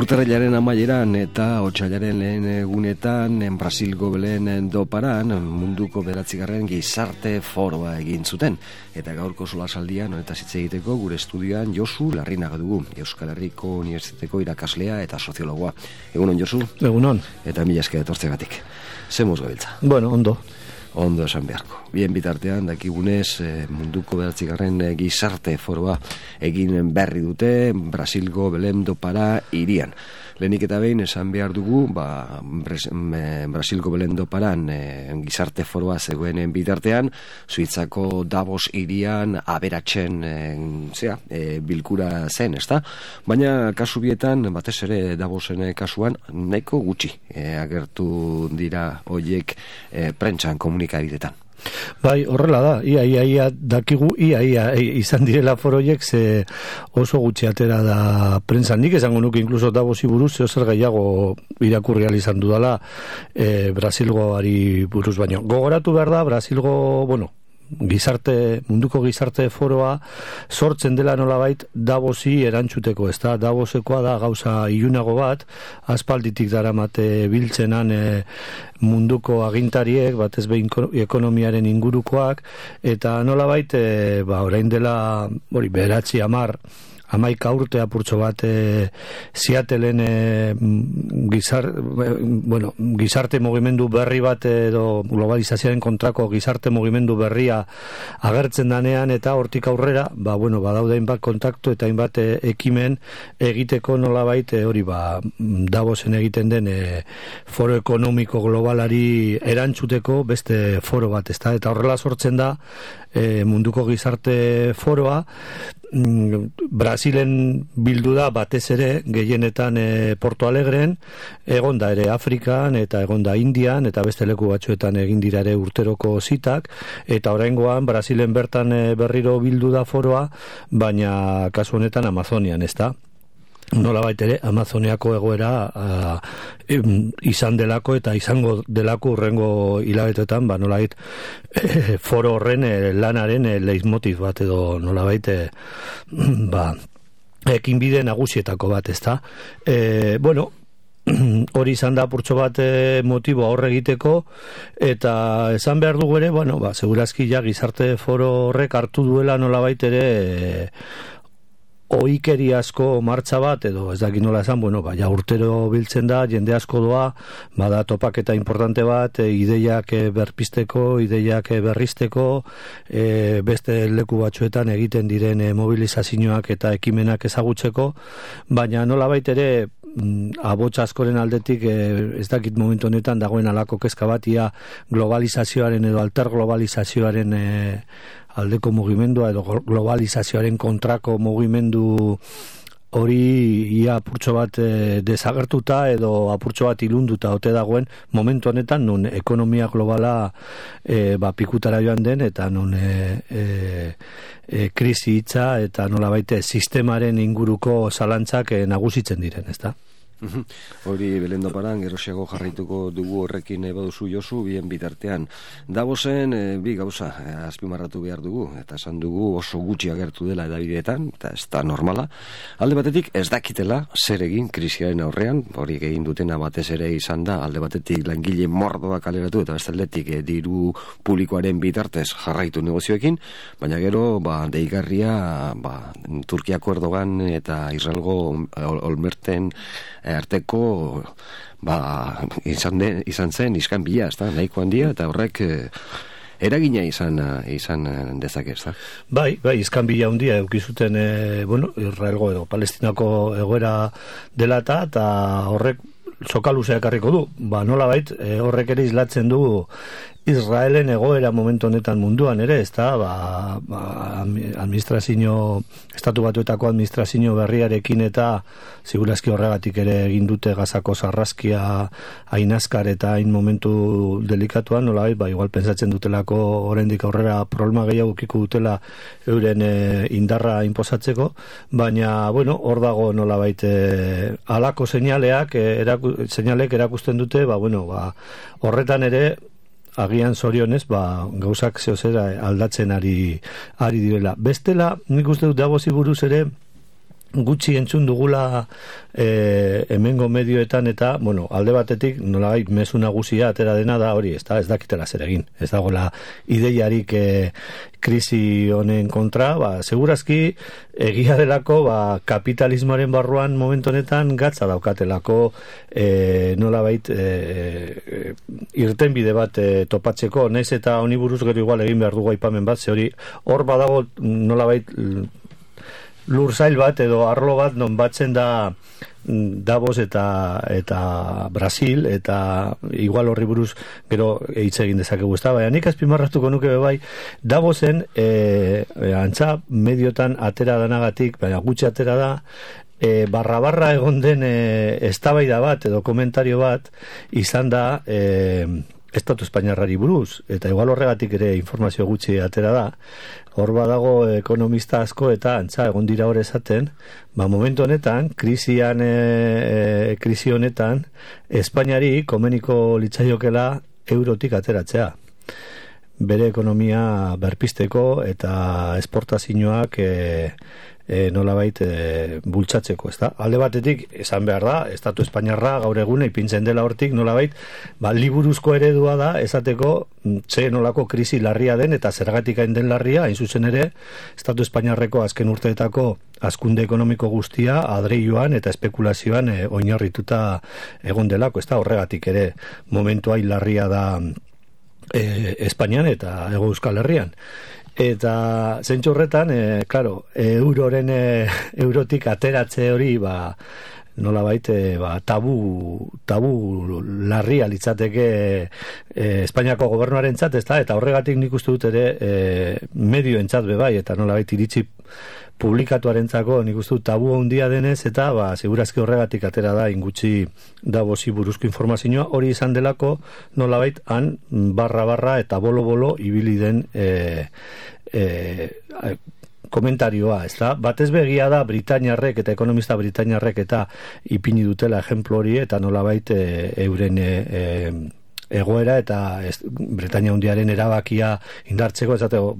Urtarrilaren amaieran eta otsailaren lehen egunetan Brasilgo Belén do Paran munduko 9. gizarte foroa egin zuten. Eta gaurko solasaldian honetaz hitz egiteko gure estudioan Josu Larrinaga dugu, Euskal Herriko Unibertsitateko irakaslea eta soziologoa. Egunon, Josu? Egunon. Eta mila esker etortzeagatik. Zemuz gabiltza? Bueno, ondo. Ondo esan beharko. Bien bitartean, dakigunez, munduko 9. gizarte foroa egin berri dute Brasilgo Belén do Pará hirian. Lehenik eta behin esan behar dugu, Brasilgo Belén do Parán gizarte foroa zegoenen bitartean, Suitzako Davos hirian aberatzen bilkura zen, ezta? Baina kasu bietan, batez ere Davosen kasuan, nahiko gutxi agertu dira hoiek prentsan komunikabidetan. Bai, horrela da, ia dakigu, ia izan direla foroiek ze oso gutxi atera da prentsan. Nik esango nuke inkluso Davosi buruz zer gehiago irakurri ahal izan dudala Brasilgoari buruz baino. Gogoratu behar da, Brasilgo, munduko gizarte foroa sortzen dela nolabait Davosi erantzuteko, ez da, Davosekoa da gauza ilunago bat, aspalditik daramate biltzenan munduko agintariek, batez behin ekonomiaren ingurukoak, eta nolabait, orain dela, 11 urte apurtxo bat Seattleen gizarte mugimendu berri bat edo globalizazioaren kontrako gizarte mugimendu berria agertzen danean, eta hortik aurrera badaude hainbat kontaktu eta hainbat ekimen egiteko nolabait Davosen egiten den foro ekonomiko globalari erantzuteko beste foro bat, ezta? Eta horrela sortzen da munduko gizarte foroa. Brasilen bildu da batez ere gehienetan Porto Alegren, egonda ere Afrikan eta egonda Indian eta beste leku batzuetan egin dira ere urteroko zitak, eta oraingoan Brasilen bertan berriro bildu da foroa, baina kasu honetan Amazonian, ezta? Nolabait ere Amazoniako egoera izan delako eta izango delako urrengo hilabetetan, nolabait foro horren lanaren leitmotiv bat edo nolabait ekinbide nagusietako bat, ezta? Hori izan da purtso bat motibo aurre egiteko, eta esan behar dugu ere, segurazki gizarte foro horrek hartu duela nolabait ere oikeri asko martxa bat, edo ez dakit nola esan, urtero biltzen da, jende asko doa, bada topaketa importante bat, ideiak berpisteko, ideiak berrizteko, beste leku batzuetan egiten diren mobilizazioak eta ekimenak ezagutzeko, baina nola baitere abotsa askoren aldetik ez dakit momentu honetan dagoen alako kezka bat, ia globalizazioaren edo alterglobalizazioaren aldeko mugimendua edo globalizazioaren kontrako mugimendu hori ia apurtxo bat desagertuta edo apurtxo bat ilunduta ote dagoen momentu honetan nun ekonomia globala pikutara joan den eta nun krisi hitza eta nolabait sistemaren inguruko zalantzak nagusitzen diren, ezta? Hori Belén do Parán gerosiago jarraituko dugu horrekin baduzu, Josu, bien bitartean. Davosen bi gauza azpimarratu behar dugu, eta esan dugu oso gutxi agertu dela edabideetan, eta ez da normala. Alde batetik ez dakitela zer egin krisiaren aurrean, hori egin dutena batez ere izan da, alde batetik langile mordoak kaleratu eta beste aldetik diru publikoaren bitartez jarraitu negozioekin, baina gero deigarria Turkiako Erdogan eta Israelgo Olmerten arteko izan zen iskanbila, ezta, nahiko handia, eta horrek eragina izan dezake, ezta? Bai, iskanbila handia eukizuten Israelgo edo Palestinako egoera dela eta horrek sokaluzea ekarriko du. Nolabait horrek ere islatzen du Israelen egoera momentu honetan munduan ere, ezta? Estatu Batuetako administrazio berriarekin eta segurazki horregatik ere egin dute Gazako sarraskia hain azkar eta hain momentu delikatuan, nolabait, igual pentsatzen dutelako oraindik aurrera problema gehiago ukiko dutela euren indarra inposatzeko, baina, hor dago nolabait halako seinalek erakusten dute, horretan ere agian zorionez, gauzak zehozera aldatzen ari direla. Bestela, nik uste dut Davosi buruz ere gutxi entzun dugula hemengo medioetan eta, bueno, alde batetik nolabait mezu nagusia atera dena da hori, ez dakitela zer egin. Ez dagoela ideiarik krisi honen kontra, segurazki egia delako kapitalismoaren barruan momentu honetan gatza daukatelako nolabait irtenbide bat topatzeko, naiz eta honi buruz gero igual egin behar dugu aipamen bat, ze hori hor badago nolabait lursail bat edo arlo bat non batzen da Davos eta Brasil, eta igual horri buruz gero hitz egin dezakegu, ezta? Baina nik azpimarratuko nuke bai Davosen antza mediotan atera danagatik, baina gutxi atera da, barra egon den eztabaida bat edo komentario bat izan da Estatu Espainiarrari buruz, eta igual horregatik ere informazio gutxi atera da. Hor badago ekonomista asko eta antza egon dira hor esaten, momentu honetan, krisi honetan, Espainiari komeniko litzaiokela eurotik ateratzea. Bere ekonomia berpisteko eta esportazioak nolabait bultzatzeko, ezta? Alde batetik, esan behar da, Estatu Espainiarra gaur egune ipintzen dela hortik, nolabait, liburuzko eredua da, esateko ze nolako krisi larria den, eta zergatik hain den larria, hain zuzen ere, Estatu Espainiarreko azken urteetako hazkunde ekonomiko guztia adreioan eta espekulazioan oinarrituta egon delako, ezta? Horregatik ere momentu hain larria da Espainian eta Hego Euskal Herrian. Eta zentzu horretan, eurotik ateratze hori, nolabait, tabu larria litzateke Espainiako gobernuarentzat, ezta? Eta horregatik nik uste dut ere medioentzat bai, eta nolabait iritzi publikatuarentzako nik uste dut tabu handia denez, eta segurazki horregatik atera da ingutxi Davosi buruzko informazioa, hori izan delako nolabait han barra eta bolo ibili den komentarioa, ez da? Batez begia da Britainiarrek eta ekonomista Britainiarrek eta ipini dutela ejemplo hori, eta nolabait euren egoera eta Britainia Handiaren erabakia indartzeko, esateko,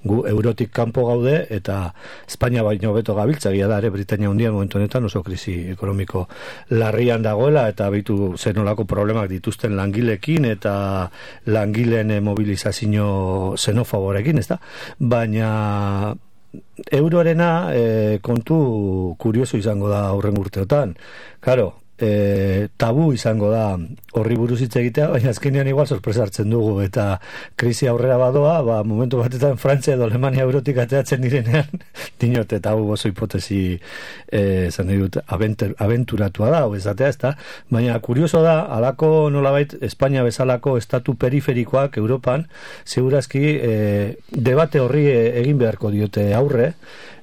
gu eurotik kanpo gaude eta Espainia baino beto gabiltza, egia da ere Britainia Handia momentu honetan oso krisi ekonomiko larrian dagoela, eta zenolako problemak dituzten langilekin eta langileen mobilizazio xenofoborekin, ez da? Baina euroarena kontu kurioso izango da aurren urteotan. Claro, tabu izango da horri buruz hitz egitea, baina azkenean igual sorpresa hartzen dugu, eta krisi aurrera badoa, momentu batetan Frantzia edo Alemania eurotik ateratzen direnean, dinote tabu oso hipotesi zan dut, abenturatua da, ezatea, ez da, baina kurioso da, alako nolabait Espainia bezalako estatu periferikoak Europan, segurazki debate horri egin beharko diote aurre,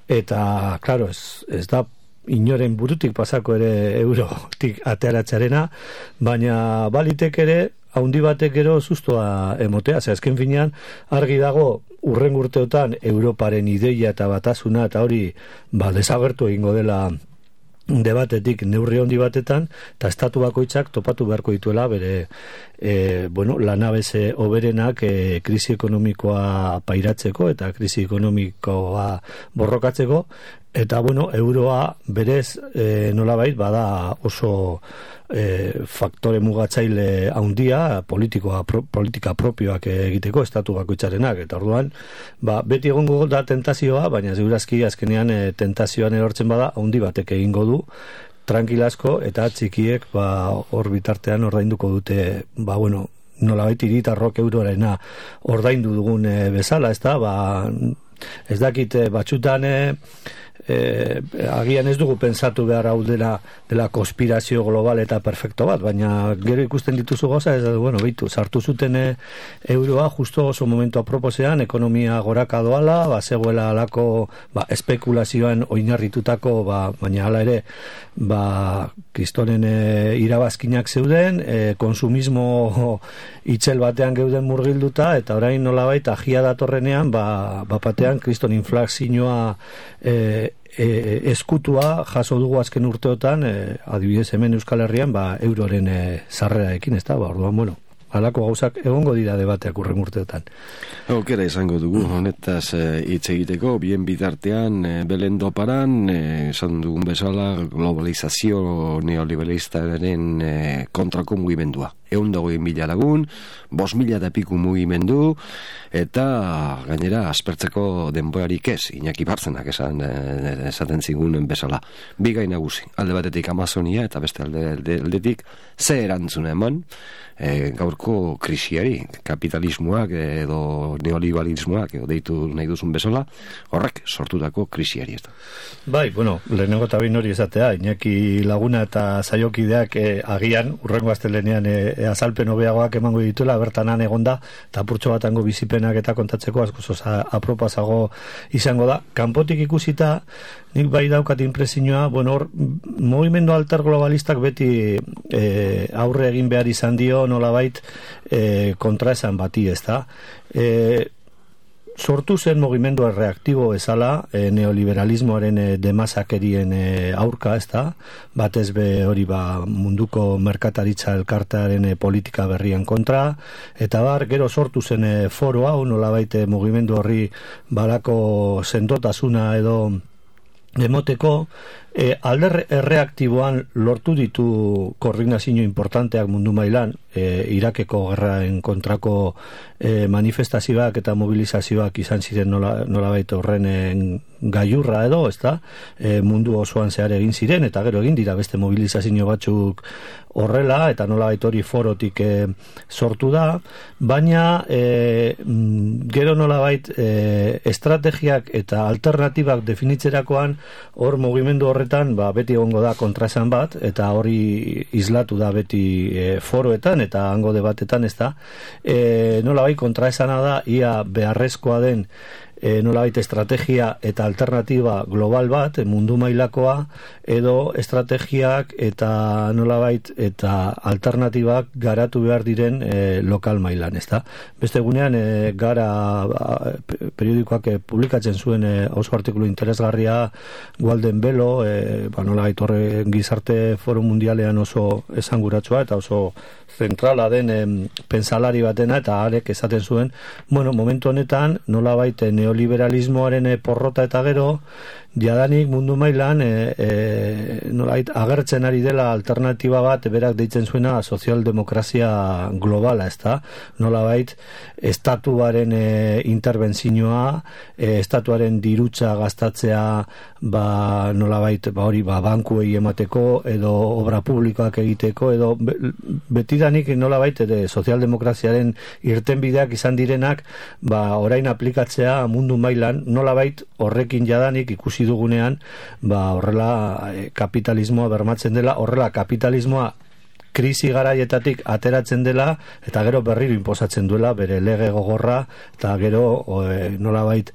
eta, klaro, ez da inoren burutik pasako ere eurotik ateratzearena, baina balitek ere haundi batek gero sustoa emotea, azken finean argi dago urren urteotan Europaren ideia eta batasuna eta hori desagertu egingo dela debatetik neurri handi batetan, eta estatu bakoitzak topatu beharko dituela bere lanabese hoberenak krisi ekonomikoa pairatzeko eta krisi ekonomikoa borrokatzeko, eta euroa berez nolabait bada oso faktore mugatzaile handia politika propioak egiteko estatu bakoitzarenak, eta orduan beti egongo da tentazioa, baina segurazki azkenean tentazioan erortzen bada handi batek egingo du tranquilasko, eta txikiek hor bitartean ordainduko dute nolabait hiritarrok euroarena ordaindu dugun bezala, ez da, ez dakit batzutan agian ez dugu pensatu behar hau dela konspirazio global eta perfecto bat, baina gero ikusten dituzu gauza, ez da, sartu zuten euroa justo oso momentu aproposean, ekonomia goraka doala, zegoela alako espekulazioan oinarritutako, baina hala ere kristonen irabazkinak zeuden, konsumismo itxel batean geuden murgilduta, eta orain nolabait ajia datorrenean, batean kriston inflazioa eskutua jaso dugu azken urteotan, adibidez hemen Euskal Herrian euroren sarreraekin, ez da, orduan, halako gauzak egongo dira debateak urren urteotan. Aukera izango dugu, honetaz hitz egiteko, bien bitartean, Belendo Paran, esan dugun bezala, globalizazio neoliberalistaren kontrako mugimendua. 120.000 lagun, 5.000 eta piku mugimendu, eta gainera aspertzeko denborarik ez, Iñaki Bartzenak esaten zigunen bezala. Bi gai nagusi, alde batetik Amazonia eta beste aldetik ze erantzuna eman gaurko krisiari, kapitalismoak edo neoliberalismoak edo deitu nahi duzun bezala, horrek sortutako krisiari ez da. Bai, bueno, lehenengo eta behin hori esatea, Iñaki Laguna eta saiokideak agian, urrengo astelenean azalpen hobeagoak emango dituela, bertanan egonda, eta apurtxo batango bizipenak eta kontatzeko askoz apropasago izango da. Kanpotik ikusita, nik bai daukat inpresioa, bueno, hor, mugimendu alter globalistak beti aurre egin behar izan dio, nolabait kontraesan bati, ez da? Sortu zen mugimendu reaktibo ezala neoliberalismoaren demasakerien aurka, ez da? Batez be hori munduko merkataritza elkartearen politika berrien kontra, eta gero sortu zen foro hau, nolabait mugimendu horri balako sendotasuna edo demoteko, alder erreaktiboan lortu ditu koordinazio importanteak mundu mailan, Irakeko gerraen kontrako manifestazioak eta mobilizazioak izan ziren nolabait horren gaiurra edo, ezta? Mundu osoan zehar egin ziren, eta gero egin dira beste mobilizazio batzuk horrela, eta nolabait hori forotik sortu da, baina gero nolabait estrategiak eta alternatibak definitzerakoan hor mugimendu horretan beti egongo da kontraesan bat, eta hori islatu da beti foroetan eta hango debatetan, ez da, nolabait kontraesana da, ia beharrezkoa den nolabait estrategia eta alternatiba global bat, mundu mailakoa, edo estrategiak eta nolabait eta alternatibak garatu behar diren lokal mailan, ez da. Beste egunean gara periodikoak publikatzen zuen oso artikulu interesgarria Walden Belo, nolabait horre gizarte foro mundialean oso esanguratsua eta oso zentrala den pensalari batena, eta arek esaten zuen, bueno, momentu honetan nolabait neoliberalismoaren porrota eta gero jadanik mundu mailan nolabait agertzen ari dela alternatiba bat berak deitzen zuena sozialdemokrazia globala, ez da? Nolabait estatuaren interbentzioa, estatuaren dirutza gastatzea nolabait hori bankuei emateko edo obra publikoak egiteko edo betidanik nolabait sozialdemokraziaren irtenbideak izan direnak orain aplikatzea mundu mailan, nolabait horrekin jadanik ikusi dugunean horrela kapitalismoa bermatzen dela, horrela kapitalismoa krisi garaietatik ateratzen dela eta gero berriro inposatzen duela bere lege gogorra, eta gero nolabait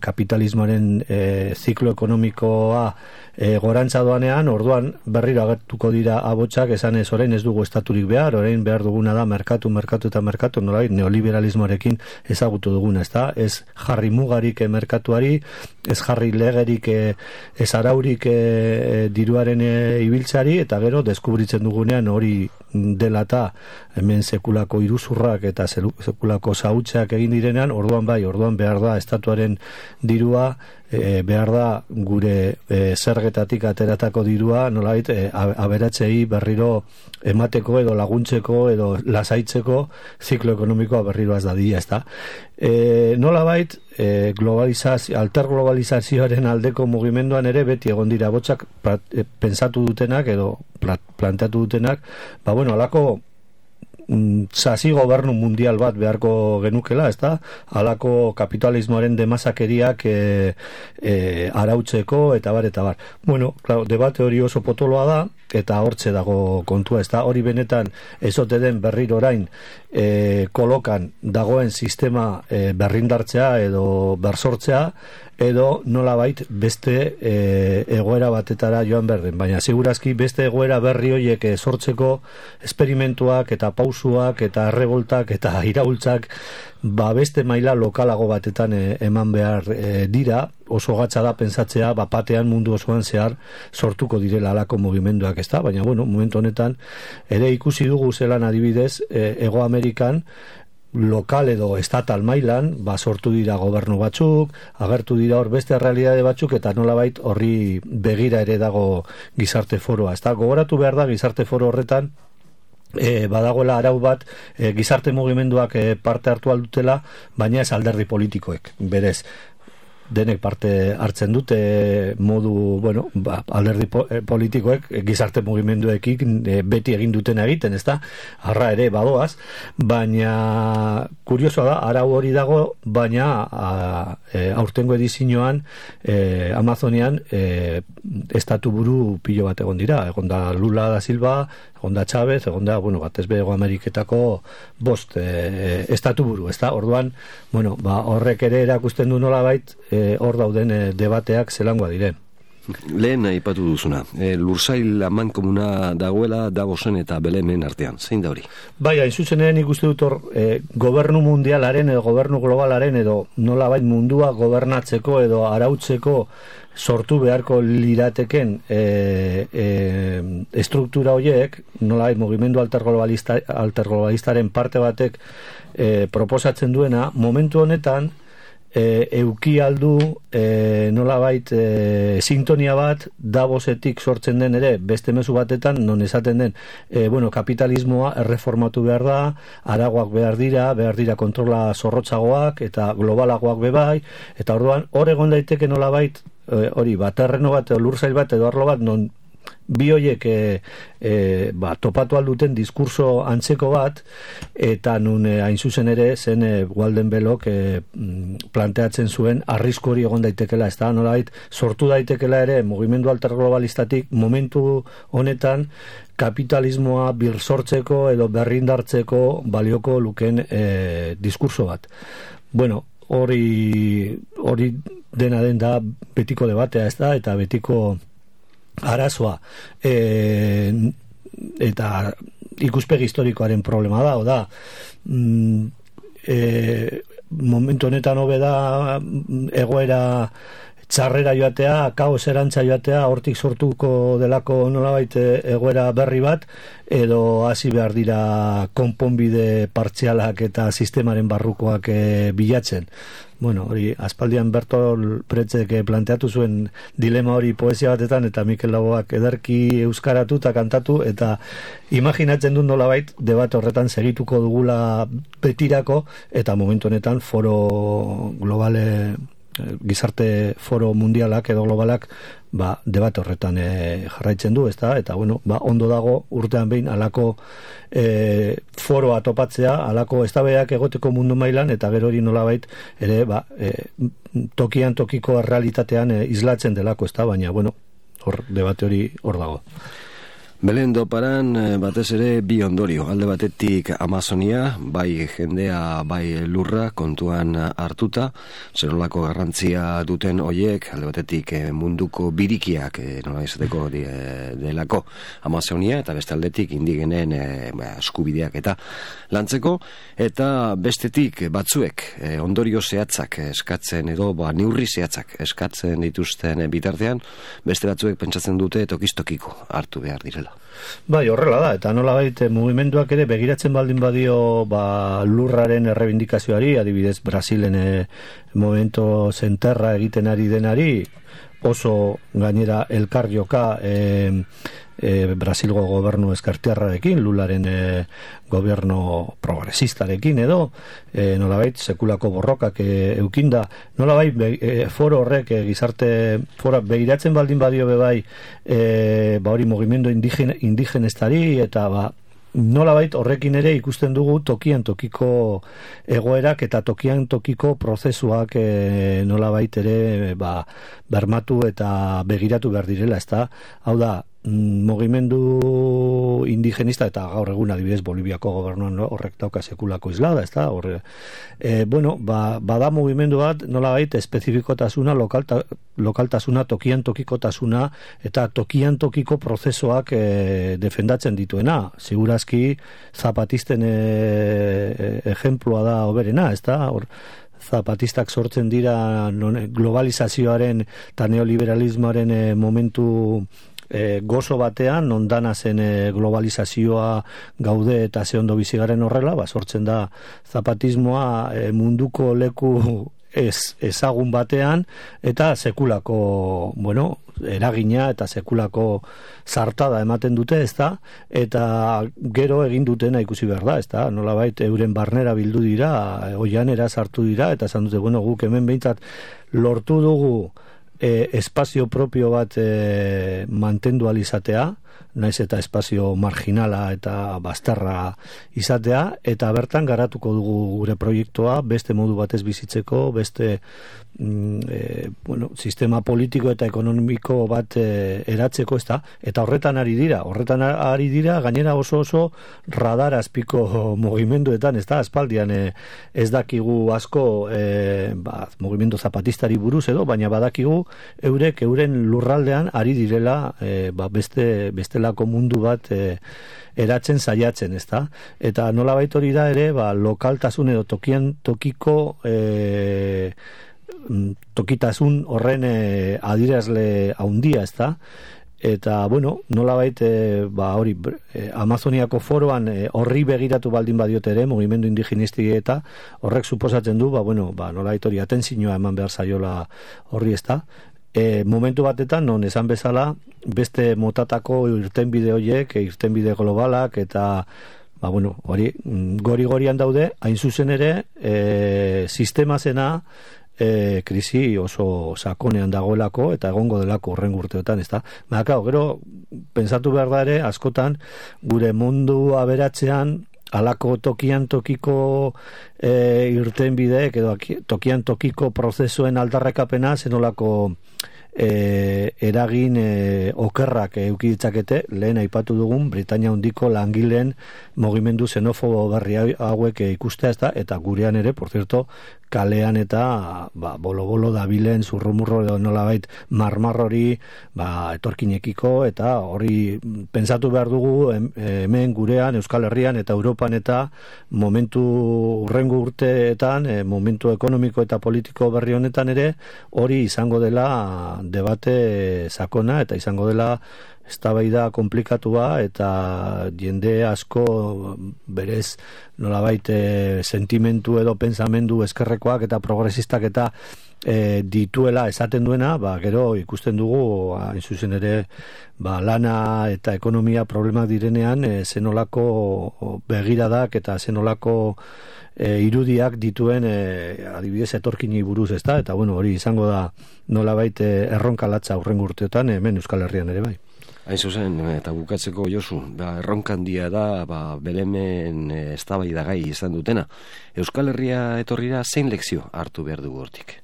kapitalismoaren ziklo ekonomikoa gorantza doanean, orduan berriro agertuko dira abotsak esanez orain ez dugu estaturik behar, orain behar duguna da merkatu, nolabait neoliberalismoarekin ezagutu duguna, ez da? Ez jarri mugarik merkatuari, ez jarri legerik, ez araurik diruaren ibiltzari, eta gero deskubritzen dugunean hori dela eta hemen sekulako iruzurrak eta sekulako zahutzeak egin direnean, orduan behar da estatuaren dirua, behar da gure zergetatik ateratako dirua nolabait aberatzei berriro emateko edo laguntzeko edo lasaitzeko ziklo ekonomikoa berriro az dadila, ez da. Nolabait alterglobalizazioaren aldeko mugimenduan ere beti egon dira botsak pensatu dutenak edo planteatu dutenak, alako sasi gobernu mundial bat beharko genukela, ez da? Halako kapitalismoaren demasakeriak arautzeko eta bar. Bueno, claro, debate hori oso potoloa da, eta hortze dago kontua, ez da? Hori benetan ezote den berriro orain kolokan dagoen sistema berrindartzea edo bersortzea, edo nolabait beste egoera batetara joan berden, baina segurazki beste egoera berri horiek sortzeko esperimentuak eta pausuak eta revoltak eta iraultzak beste maila lokalago batetan eman behar dira. Oso gatza da pentsatzea batean mundu osoan zehar sortuko direla alako mugimenduak, ezta? Baina momentu honetan ere ikusi dugu zelan adibidez Hego Amerikan lokal edo estatal mailan sortu dira gobernu batzuk, agertu dira hor beste realitate batzuk, eta nolabait horri begira ere dago gizarte foroa, ezta? Gogoratu behar da gizarte foro horretan badagoela arau bat gizarte mugimenduak parte hartu aldutela, baina ez alderdi politikoek, berez denek parte hartzen dute modu, alderdi politikoek gizarte mugimenduekin beti egin duten egiten, ezta? Arra ere badoaz, baina kuriosoa da, arau hori dago, baina aurtengo edizioan Amazonian estatu buru pilo bat egon dira, egon da Lula da Silva, egon da Chávez, egon da, batez Hego Ameriketako 5 estatu buru, ezta? Orduan, horrek ere erakusten du nolabait hor dauden debateak zelangoa diren. Lehen aipatu duzuna, lursail amankomuna dagoela Davosen eta Belemen artean, zein da hori? Bai, hain zuzenean ikuste dut hor gobernu mundialaren edo gobernu globalaren edo nolabait mundua gobernatzeko edo arautzeko sortu beharko lirateken estruktura horiek, nolabait mugimendu alterglobalistaren parte batek proposatzen duena, momentu honetan euki aldu nolabait sintonia bat Davosetik sortzen den ere beste mezu batetan, non esaten den kapitalismoa erreformatu behar da, aragoak behar dira kontrola zorrotzagoak eta globalagoak bebai, eta orduan hor egon daiteke nolabait hori terreno bat, lursail bat edo arlo bat, non bi horiek topatu alduten diskurso antzeko bat, eta nun hain zuzen ere zen Walden Bellok planteatzen zuen arrisku hori egon daitekela, ez da, nolabait sortu daitekela ere mugimendu alterglobalistatik momentu honetan kapitalismoa birsortzeko edo berrindartzeko balioko luken diskurso bat. Hori dena den da betiko debatea, ez da, eta betiko arazoa, eta ikuspegi historikoaren problema da, momentu honetan hobe da egoera txarrera joatea, kaos erantza joatea, hortik sortuko delako nolabait egoera berri bat, edo hasi behar dira konponbide partzialak eta sistemaren barrukoak bilatzen. Hori, aspaldian Bertolt Brechtk planteatu zuen dilema hori poesia batetan, eta Mikel Laboak ederki euskaratu eta kantatu, eta imaginatzen dut nolabait debat horretan segituko dugula betirako, eta momentu honetan foro globale, gizarte foro mundialak edo globalak debate horretan jarraitzen du, ezta? Eta ondo dago urtean behin alako foroa topatzea, alako eztabaidak egoteko mundu mailan, eta gero hori nolabait ere tokian tokiko errealitatean islatzen delako, ezta? Baina hor debate hori hor dago. Belen Doparan batez ere bi ondorio, alde batetik Amazonia, bai jendea, bai lurra kontuan hartuta, zenolako garrantzia duten hoiek, alde batetik munduko birikiak nola izateko delako Amazonia, eta beste aldetik indigenen eskubideak eta lantzeko, eta bestetik batzuek ondorio zehatzak eskatzen edo neurri zehatzak eskatzen dituzten bitartean, beste batzuek pentsatzen dute tokistokiko hartu behar direla. Bai, horrela da, eta nolabait mugimenduak ere begiratzen baldin badio lurraren errebindikazioari, adibidez Brasilen momento zenterra egiten ari denari, oso gainera elkar joka Brasilgo gobernu ezkertiarrarekin, Lularen gobernu progresistarekin edo, nolabait sekulako borrokak eukinda, nolabait foro horrek gizarte fora begiratzen baldin badio bebai hori mugimendu indigenestari, eta nolabait horrekin ere ikusten dugu tokian tokiko egoerak eta tokian tokiko prozesuak nolabait ere bermatu eta begiratu behar direla, ezta? Hau da, mugimendu indigenista eta gaur egun adibidez Boliviako gobernuan horrek dauka sekulako islada, ez da? Bada mugimendu bat nolabait espezifikotasuna, lokaltasuna, tokian tokikotasuna eta tokian tokiko prozesuak defendatzen dituena. Segurazki zapatisten ejemplua da hoberena, ez da? Zapatistak sortzen dira globalizazioaren eta neoliberalismoaren momentu gozo batean, nondana zen globalizazioa gaude eta ze ondo bizigaren horrela, sortzen da zapatismoa munduko leku ezagun batean eta sekulako, eragina eta sekulako zartada ematen dute, ezta? Eta gero egin dutena ikusi behar da, ezta? Nolabait euren barnera bildu dira, oianera sartu dira, eta esan dute, guk hemen behintzat lortu dugu espazio propio bat mantendu alizatea, naiz eta espazio marginala eta bastarra izatea, eta bertan garatuko dugu gure proiektua, beste modu batez bizitzeko, beste sistema politiko eta ekonomiko bat eratzeko, ezta? Eta horretan ari dira gainera oso radar azpiko mugimenduetan, ezta? Aspaldian ez dakigu asko mugimendu zapatistari buruz edo, baina badakigu euren lurraldean ari direla bestelako mundu bat eratzen saiatzen, ezta? Eta nolabait hori da ere, lokaltasun edo tokian tokiko tokitasun horren adierazle handia, ezta? Eta, nolabait hori Amazoniako foroan horri begiratu baldin badiote ere, mugimendu indigenisti eta horrek suposatzen du, nolabait hori atentzioa eman behar zaiola horri, ezta? Momentu batetan, non esan bezala, beste motatako irtenbide horiek, irtenbide globalak, eta hori gori-gorian daude, hain zuzen ere, sistema zena krisi oso sakonean dagoelako eta egongo delako horren urteotan, ezta? Gero, pentsatu behar da ere, askotan, gure mundu aberatzean, alako tokian tokiko irtenbideek edo tokian tokiko prozesuen aldarrekapena zenolako eragin okerrak eduki ditzakete, lehen aipatu dugun Britainia Handiko langileen mugimendu xenofobo berri hauek ikustea, ezta? Eta gurean ere, por cierto, kalean eta bolo-bolo dabilen zurrumurro edo nolabait marmarrori etorkinekiko, eta hori pentsatu behar dugu hemen gurean, Euskal Herrian eta Europan eta momentu urrengo urteetan, momentu ekonomiko eta politiko berri honetan ere, hori izango dela debate sakona eta izango dela eztabaida konplikatua eta jende asko berez nolabait sentimentu edo pensamendu eskerrekoak eta progresistak eta dituela esaten duena, gero ikusten dugu hain zuzen ere lana eta ekonomia problemak direnean zenolako begiradak eta zenolako irudiak dituen adibidez etorkini buruz, ezta? Eta hori izango da nolabait erronka latza hurrengo urteotan hemen Euskal Herrian ere bai. Hain zuzen, eta bukatzeko Josu, erronka handia da Belemen eztabaidagai izan dutena. Euskal Herria etorrira zein lekzio hartu behar dugu hortik?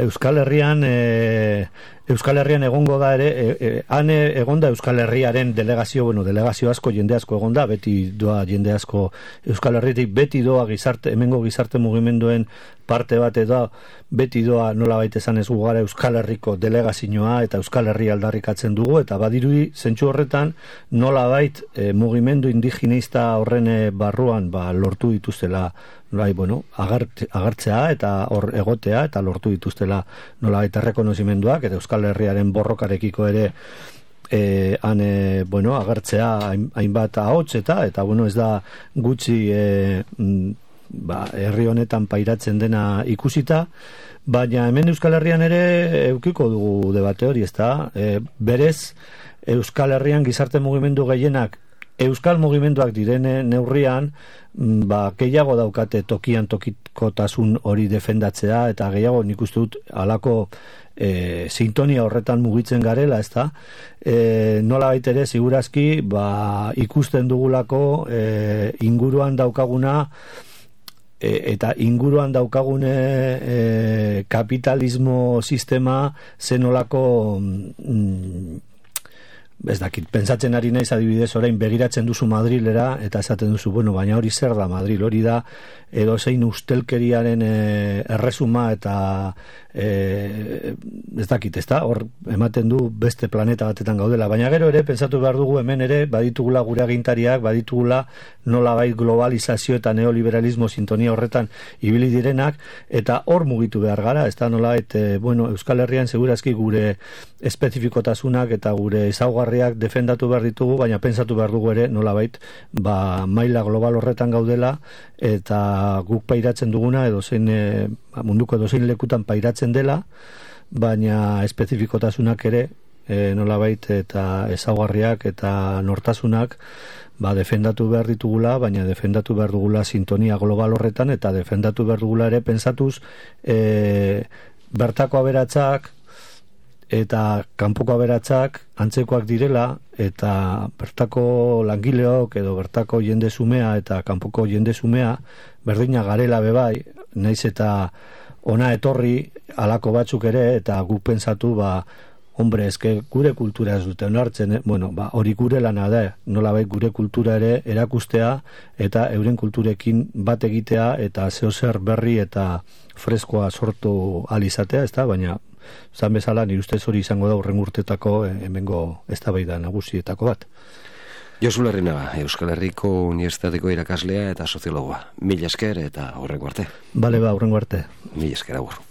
Euskal Herrian egongo da ere, han egonda Euskal Herriaren delegazio asko, jende asko egonda, beti doa jende asko Euskal Herritik, beti doa hemengo gizarte mugimenduen parte bat edo, beti doa nolabait esan ez gara Euskal Herriko delegazioa eta Euskal Herria aldarrikatzen dugu, eta badirudi zentsu horretan nolabait mugimendu indigenista horren barruan lortu dituztela agertzea eta hor egotea eta lortu dituztela nolabait errekonozimenduak eta Euskal Herriaren borrokarekiko ere agertzea hainbat ahots eta ez da gutxi herri honetan pairatzen dena ikusita, baina hemen Euskal Herrian ere eukiko dugu debate hori, ezta? Berez Euskal Herrian gizarte mugimendu gehienak Euskal mugimenduak direne neurrian gehiago daukate tokian tokikotasun hori defendatzea eta gehiago nik uste dut halako sintonia horretan mugitzen garela, ezta? Nola baitere segurazki ikusten dugulako inguruan daukaguna eta inguruan daukagune kapitalismo sistema zenolako ez dakit, pentsatzen ari naiz adibidez orain begiratzen duzu Madrilera eta esaten duzu, bueno, baina hori zer da Madril, hori da edozein ustelkeriaren erresuma eta ez dakit, ez da, hor ematen du beste planeta batetan gaudela, baina gero ere pentsatu behar dugu hemen ere baditugula gure agintariak, baditugula nolabait globalizazio eta neoliberalismo sintonia horretan ibili direnak, eta hor mugitu behar gara, ez da nolabait, bueno, Euskal Herrian segurazki gure espezifikotasunak eta gure ezaugarriak defendatu behar ditugu, baina pentsatu behar dugu ere nolabait, maila global horretan gaudela, eta guk pairatzen duguna edozein munduko edozein lekutan pairatzen dela, baina espezifikotasunak ere nolabait eta ezaugarriak eta nortasunak defendatu behar ditugula, baina defendatu behar dugula sintonia global horretan, eta defendatu behar dugula ere pentsatuz bertako aberatzak eta kanpoko aberatzak antzekoak direla, eta bertako langileok edo bertako jende zumea eta kanpoko jende zumea berdina garela bebai, naiz eta ona etorri alako batzuk ere, eta guk pentsatu hombre, eske gure kultura ez dute onartzen, bueno, hori gure lana da, nolabait gure kultura ere erakustea eta euren kulturekin bat egitea eta zeozer berri eta freskoa sortu alizatea, ez da, baina zan bezala nire ustez hori izango da hurrengo urtetako hemengo eztabaida nagusietako bat. Josu Larrinaga, Euskal Herriko Unibertsitateko irakaslea eta soziologoa. Mila esker eta hurrengo arte. Bale, hurrengo arte. Mila esker, agur.